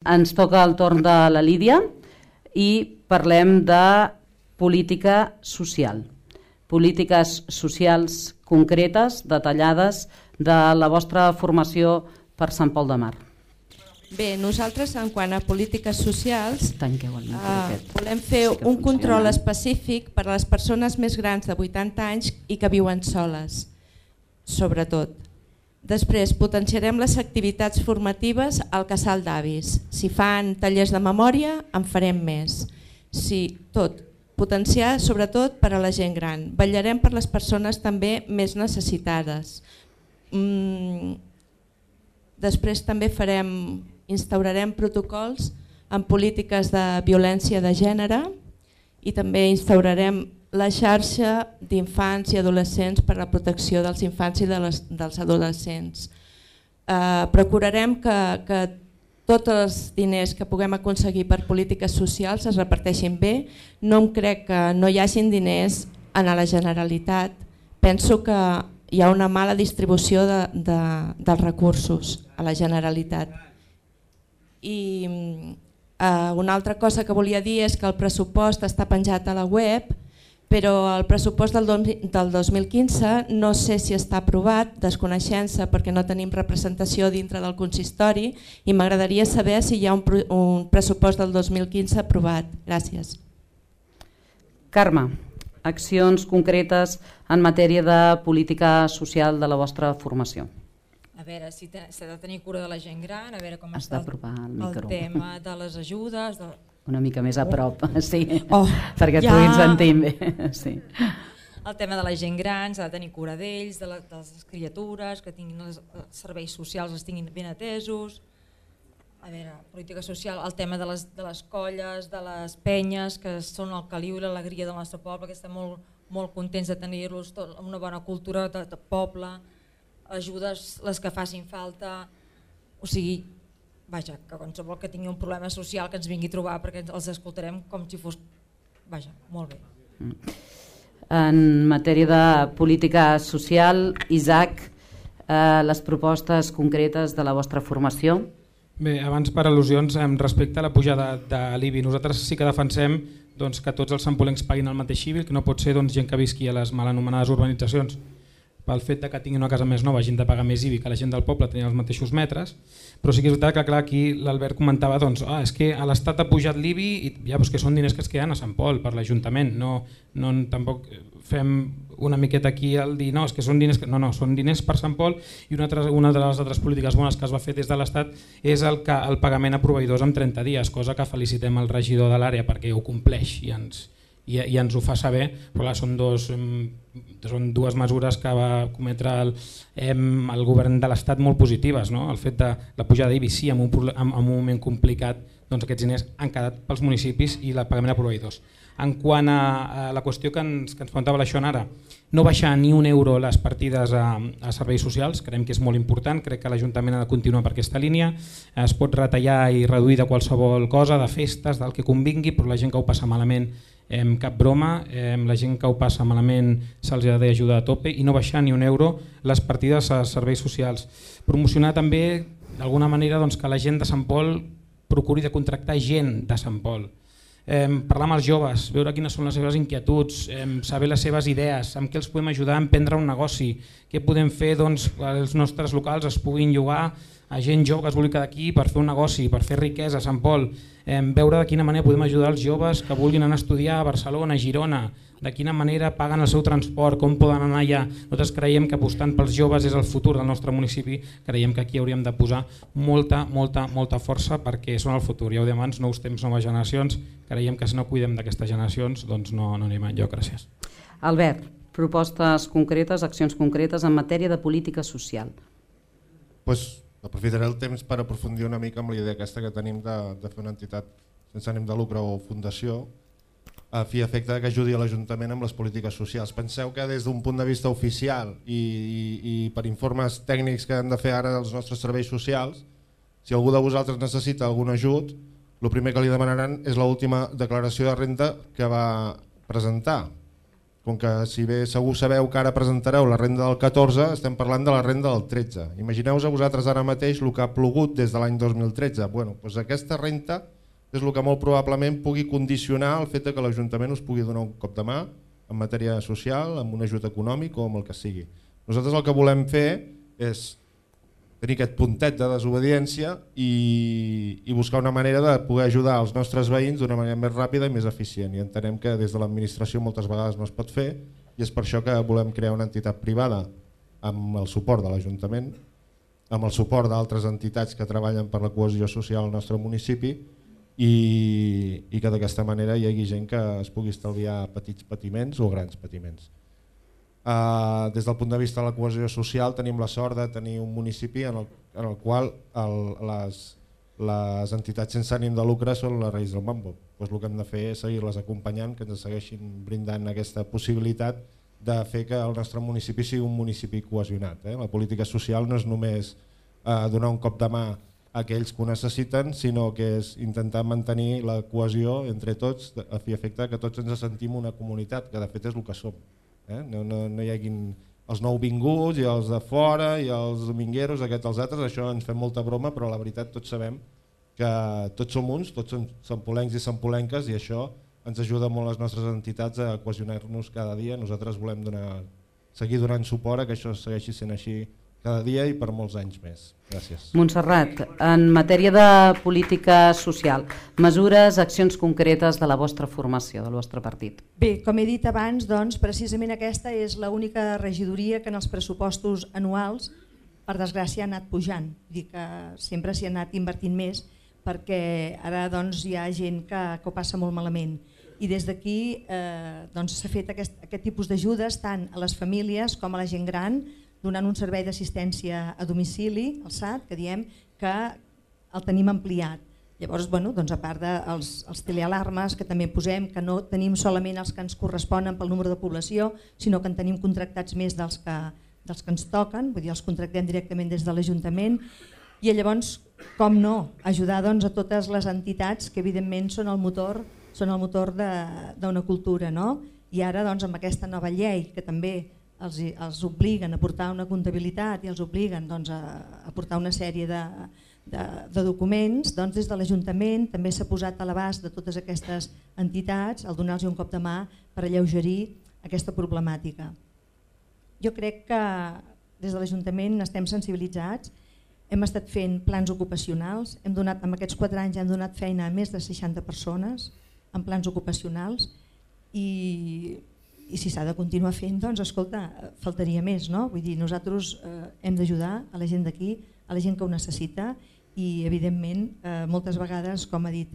Ens toca el torn de la Lídia i parlem de política social. Polítiques socials concretes, detallades, de la vostra formació per Sant Pol de Mar. Bé, nosaltres en quant a polítiques socials volem fer un control específic per a les persones més grans de 80 anys i que viuen soles, sobretot. Després potenciarem les activitats formatives al casal d'avis. Si fan tallers de memòria, en farem més. Sí, tot. Potenciar sobretot per a la gent gran. Vetllarem per les persones també més necessitades. Després també instaurarem protocols en polítiques de violència de gènere i també instaurarem la xarxa d'infants i adolescents per a la protecció dels infants i dels adolescents. Procurarem que tots els diners que puguem aconseguir per polítiques socials es reparteixin bé. No em crec que no hi hagin diners a la Generalitat. Penso que hi ha una mala distribució dels recursos a la Generalitat. I una altra cosa que volia dir és que el pressupost està penjat a la web, però el pressupost del 2015 no sé si està aprovat, desconeixent-se perquè no tenim representació dintre del consistori i m'agradaria saber si hi ha un pressupost del 2015 aprovat. Gràcies. Carme, accions concretes en matèria de política social de la vostra formació. A veure, si s'ha de tenir cura de la gent gran, a veure com Has està d'apropar el el micro. tema de les ajudes... Una mica més a prop, sí, ja. perquè et puguin sentir bé. Sí. El tema de la gent gran, s'ha de tenir cura d'ells, de les criatures, que tinguin els serveis socials els tinguin ben atesos. A veure, política social, el tema de les colles, de les penyes, que són el caliu i l'alegria del nostre poble, que estem molt contents de tenir-los, una bona cultura de poble, ajudes les que facin falta, o sigui, vaja, que qualsevol que tingui un problema social que ens vingui a trobar perquè els escoltarem com si fos, vaja, molt bé. En matèria de política social, Isaac, les propostes concretes de la vostra formació? Bé, abans per al·lusions, respecte a la pujada de l'IBI, nosaltres sí que defensem que tots els sampolencs paguin el mateix IBI, que no pot ser gent que visqui a les mal anomenades urbanitzacions pel fet que tinguin una casa més nova hagin de pagar més IBI que la gent del poble tenint els mateixos metres, però sí que és veritat que clar, aquí l'Albert comentava és que a l'Estat ha pujat l'IBI i ja, que són diners que es queden a Sant Pol per l'Ajuntament, tampoc fem una miqueta aquí al dir és que són diners, són diners per Sant Pol. I una de les altres polítiques bones que es va fer des de l'Estat és el pagament a proveïdors en 30 dies, cosa que felicitem el regidor de l'àrea perquè ho compleix i ens ho fa saber, però clar, són dues mesures que va cometre el govern de l'Estat molt positives. El fet de la pujada d'IBI, sí, en un moment complicat, aquests diners han quedat pels municipis i el pagament a proveïdors. En quant a la qüestió que ens preguntava la Joan ara, no baixar ni un euro les partides a serveis socials, creiem que és molt important, crec que l'Ajuntament ha de continuar per aquesta línia, es pot retallar i reduir de qualsevol cosa, de festes, del que convingui, però la gent que ho passa malament cap broma, la gent que ho passa malament se'ls ha d'ajudar a tope i no baixar ni un euro les partides a serveis socials. Promocionar també d'alguna manera que la gent de Sant Pol procuri de contractar gent de Sant Pol. Parlar amb els joves, veure quines són les seves inquietuds, saber les seves idees, amb què els podem ajudar a emprendre un negoci, què podem fer que els nostres locals es puguin llogar a gent jove que es vulgui quedar aquí per fer un negoci, per fer riquesa a Sant Pol, veure de quina manera podem ajudar els joves que vulguin anar a estudiar a Barcelona, a Girona, de quina manera paguen el seu transport, com poden anar allà. Nosaltres creiem que apostant pels joves és el futur del nostre municipi, creiem que aquí hauríem de posar molta força perquè són el futur. Ja ho dèiem abans, nous temps, noves generacions, creiem que si no cuidem d'aquestes generacions doncs no anem enlloc. Gràcies. Albert, propostes concretes, accions concretes en matèria de política social. Aprofitaré el temps per aprofundir una mica amb la idea aquesta que tenim de fer una entitat sense ànim de lucre o fundació a fi efecte que ajudi a l'Ajuntament amb les polítiques socials. Penseu que des d'un punt de vista oficial i per informes tècnics que han de fer ara els nostres serveis socials, si algú de vosaltres necessita algun ajut, el primer que li demanaran és l'última declaració de renda que va presentar. com que si bé segur sabeu que ara presentareu la renda del 14, estem parlant de la renda del 13. Imagineu-vos a vosaltres ara mateix el que ha plogut des de l'any 2013. Bueno, doncs aquesta renta és el que molt probablement pugui condicionar el fet que l'Ajuntament us pugui donar un cop de mà en matèria social, amb un ajut econòmic o amb el que sigui. Nosaltres el que volem fer és tenir aquest puntet de desobediència i buscar una manera de poder ajudar els nostres veïns d'una manera més ràpida i més eficient. I entenem que des de l'administració moltes vegades no es pot fer i és per això que volem crear una entitat privada amb el suport de l'Ajuntament, amb el suport d'altres entitats que treballen per la cohesió social al nostre municipi i que d'aquesta manera hi hagi gent que es pugui estalviar petits patiments o grans patiments. Des del punt de vista de la cohesió social tenim la sort de tenir un municipi en el qual les entitats sense ànim de lucre són les reis del mambo. Doncs el que hem de fer és seguir-les acompanyant, que ens segueixin brindant aquesta possibilitat de fer que el nostre municipi sigui un municipi cohesionat. La política social no és només donar un cop de mà a aquells que ho necessiten, sinó que és intentar mantenir la cohesió entre tots a fi i efecte que tots ens sentim una comunitat, que de fet és el que som. No hi haguin els nouvinguts i els de fora i els domingueros, aquests els altres, això ens fem molta broma, però la veritat tots sabem que tots som uns, tots som sampolencs i sampolenques i això ens ajuda molt les nostres entitats a cohesionar-nos cada dia. Nosaltres volem seguir donant suport a que això segueixi sent així cada dia i per molts anys més. Gràcies. Montserrat, en matèria de política social, mesures, accions concretes de la vostra formació, del vostre partit. Bé, com he dit abans, doncs, precisament aquesta és l'única regidoria que en els pressupostos anuals, per desgràcia, ha anat pujant. Vull dir que sempre s'hi ha anat invertint més perquè ara doncs, hi ha gent que ho passa molt malament. I des d'aquí s'ha fet aquest tipus d'ajudes tant a les famílies com a la gent gran, donant un servei d'assistència a domicili, el SAT, que diem que el tenim ampliat. Llavors, a part dels telealarmes que també posem, que no tenim solament els que ens corresponen pel número de població, sinó que en tenim contractats més dels que ens toquen, vull dir, els contractem directament des de l'Ajuntament. I llavors, com no, ajudar a totes les entitats que evidentment són el motor d'una cultura. I ara amb aquesta nova llei que també els obliguen a portar una comptabilitat i els obliguen a portar una sèrie de documents, des de l'Ajuntament també s'ha posat a l'abast de totes aquestes entitats el donar-los un cop de mà per alleugerir aquesta problemàtica. Jo crec que des de l'Ajuntament estem sensibilitzats, hem estat fent plans ocupacionals, en aquests 4 anys hem donat feina a més de 60 persones en plans ocupacionals i si s'ha de continuar fent, escolta, faltaria més, no? Vull dir, nosaltres hem d'ajudar a la gent d'aquí, a la gent que ho necessita i evidentment moltes vegades, com ha dit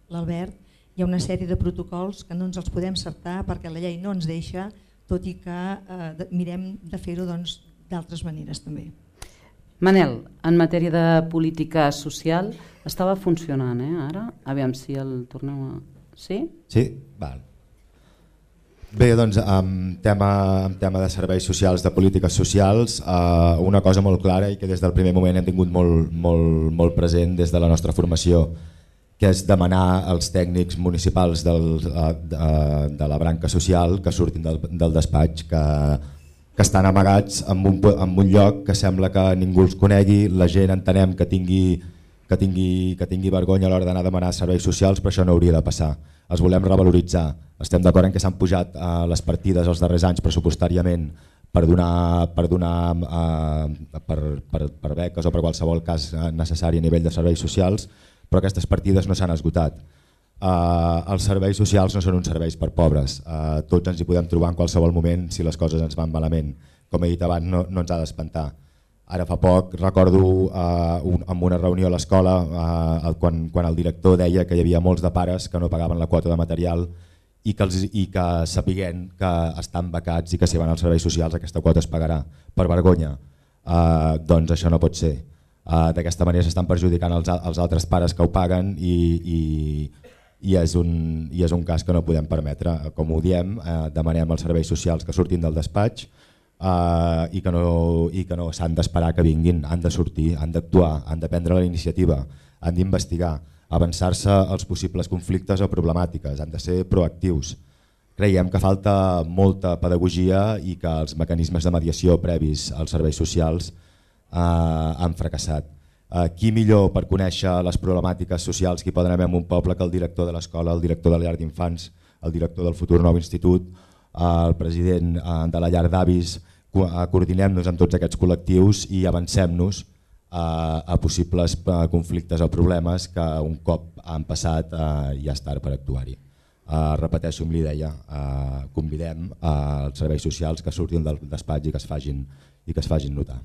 l'Albert, hi ha una sèrie de protocols que no ens els podem saltar perquè la llei no ens deixa, tot i que mirem de fer-ho d'altres maneres també. Manel, en matèria de política social, estava funcionant ara? Aviam si el torneu a... Sí? Sí? Val. Bé, doncs, en tema de serveis socials, de polítiques socials, una cosa molt clara i que des del primer moment hem tingut molt present des de la nostra formació, que és demanar als tècnics municipals de la branca social que surtin del despatx, que estan amagats en un lloc que sembla que ningú els conegui, la gent entenem que tingui vergonya a l'hora d'anar a demanar serveis socials, però això no hauria de passar. Els volem revaloritzar. Estem d'acord en que s'han pujat les partides els darrers anys pressupostàriament per beques o per qualsevol cas necessari a nivell de serveis socials, però aquestes partides no s'han esgotat. Els serveis socials no són uns serveis per pobres, tots ens hi podem trobar en qualsevol moment si les coses ens van malament. Com he dit abans, no ens ha d'espantar. Ara fa poc recordo en una reunió a l'escola quan el director deia que hi havia molts de pares que no pagaven la quota de material i que sapiguent que estan becats i que si van als serveis socials aquesta quota es pagarà per vergonya. Doncs això no pot ser. D'aquesta manera s'estan perjudicant els altres pares que ho paguen i és un cas que no podem permetre. Com ho diem, demanem als serveis socials que surtin del despatx i que no s'han d'esperar que vinguin, han de sortir, han d'actuar, han de prendre la iniciativa, han d'investigar, avançar-se als possibles conflictes o problemàtiques, han de ser proactius. Creiem que falta molta pedagogia i que els mecanismes de mediació previs als serveis socials han fracassat. Qui millor per conèixer les problemàtiques socials que hi poden haver en un poble que el director de l'escola, el director de la llar d'infants, el director del futur nou institut, el president de la llar d'avis. Coordinem-nos amb tots aquests col·lectius i avancem-nos a possibles conflictes o problemes que un cop han passat ja és tard per actuar-hi. Repeteixo amb l'idea, convidem als serveis socials que surtin del despatx i que es facin notar.